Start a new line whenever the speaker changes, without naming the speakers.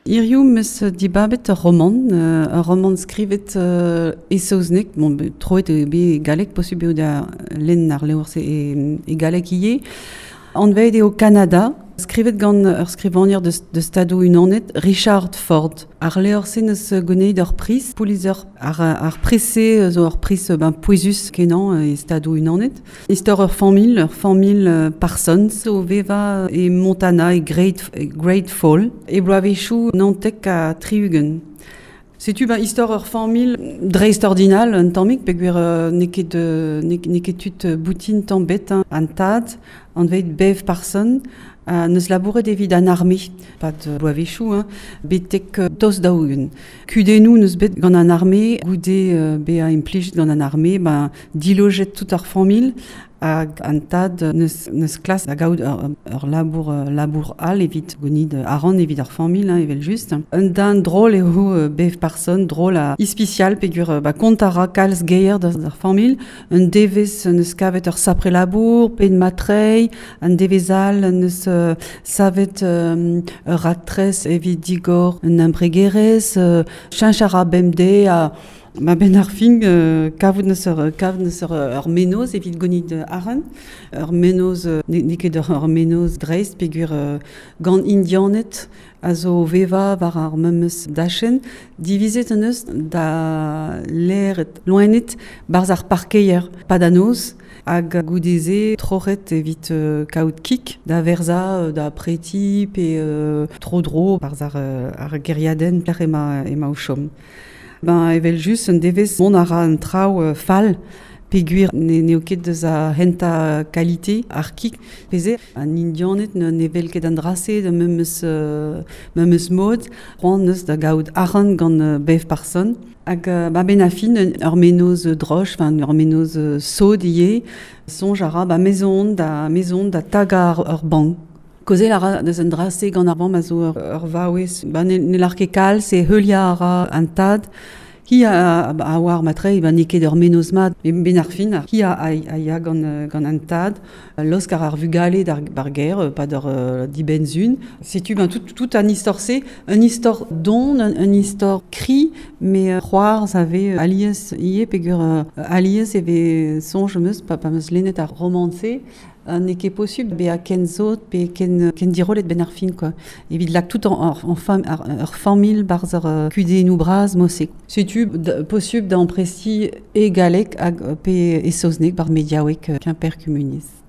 Hiziv 'm eus dibabet ur romant, ur romant skrivet e saozneg, bon troet eo bet e galleg, posubl eo da lenn ar levr-se e galleg ivez. Anvet eo Kanada, skrivet gant ur skrivagner deus Stadoù-Unanet, Richard Ford. Ar levr-se 'neus gounezet ur priz, Pulitzer. Ar priz-se zo ur priz ben, pouezus-kenañ e Stadoù-Unanet. Istor ur familh Parsons o vevañ e Montana, e Great Fall, e bloavezhioù 79. Setu ben, istor ur familh dreistordinal un tammig, peogwir n'eo ket n'eo ket tud boutin tamm bet, hein. An tad, anvet Bev Parson, neus labouret evit an arme, pad bloavezhioù, hein, betek tost 40. Kudennoù neus bet gant an arme, goude bezañ implijet gant an arme, ben, dilojet tout ar familh, hag an tad neus klas da gaout ur labour all evit gounid arc'hant evit ar familh, hein, evel-just. Un den drol eo Bev Parson, drol ha ispisial peogwir ba, kont a ra kalz geier d'ar familh. Un devezh neus kavet ur sapre labour, pe matreiñ, un devezh all neus savet ur raktres evit digor un embregerezh, cheñch a ra bemdez ha Ma benn ar fin, kavout neus ur mennozh evit gounit arc'hant. Ur mennozh, n'eo ket ur mennozh dreist peogwir gant Indianed a zo vevañ war ar memes dachenn. Divizet en deus da lâret loened 'barzh ar parkeier 'pad an noz hag goude-se troc'het evit kaout kig da verzañ da preti pe tro-dro 'barzh ar gêriadenn pelec'h emañ o chom. Ben, evel-just, un devezh mont a ra an traoù fall peogwir n'eo ket deus ar c'hentañ kalite ar kig. Peze an Indianed ne wel ket an dra-se da memes mod. C'hoant neus da gaout arc'hant gant Bev Parson. Hag ba benn ar fin, ur mennozh droch, enfin ur mennozh sod ivez. Soñj a ra ba maison da tagañ ur bank. Kaozeal a ra deus an dra-se gant ar vamm a zo ur vaouez. Ba ne lâr ket kalz, e heuliañ a ra an tad. Hi a oar matre, ba n'eo ket ur mennozh mat. Benn ar fin, hi a ya gant an tad. Laosk a ra ar vugale d'ar gêr, pad ur dibenn-sun. Setu ben, tout an istor-se, un istor don, un istor kri, mais c'hoarzh a vez alies ivez, peogwir alies e vez soñj am eus, pa 'm eus lennet ar romant-se, n'eo ket posubl bezañ ken sot pe ken dirollet benn ar fin, quoi. Evit lak tout ur familh 'barzh ur kudennoù bras mod-se. Setu posubl da amprestiñ e galleg hag pe e saozneg 'barzh mediaoueg Quimper Kumuniezh.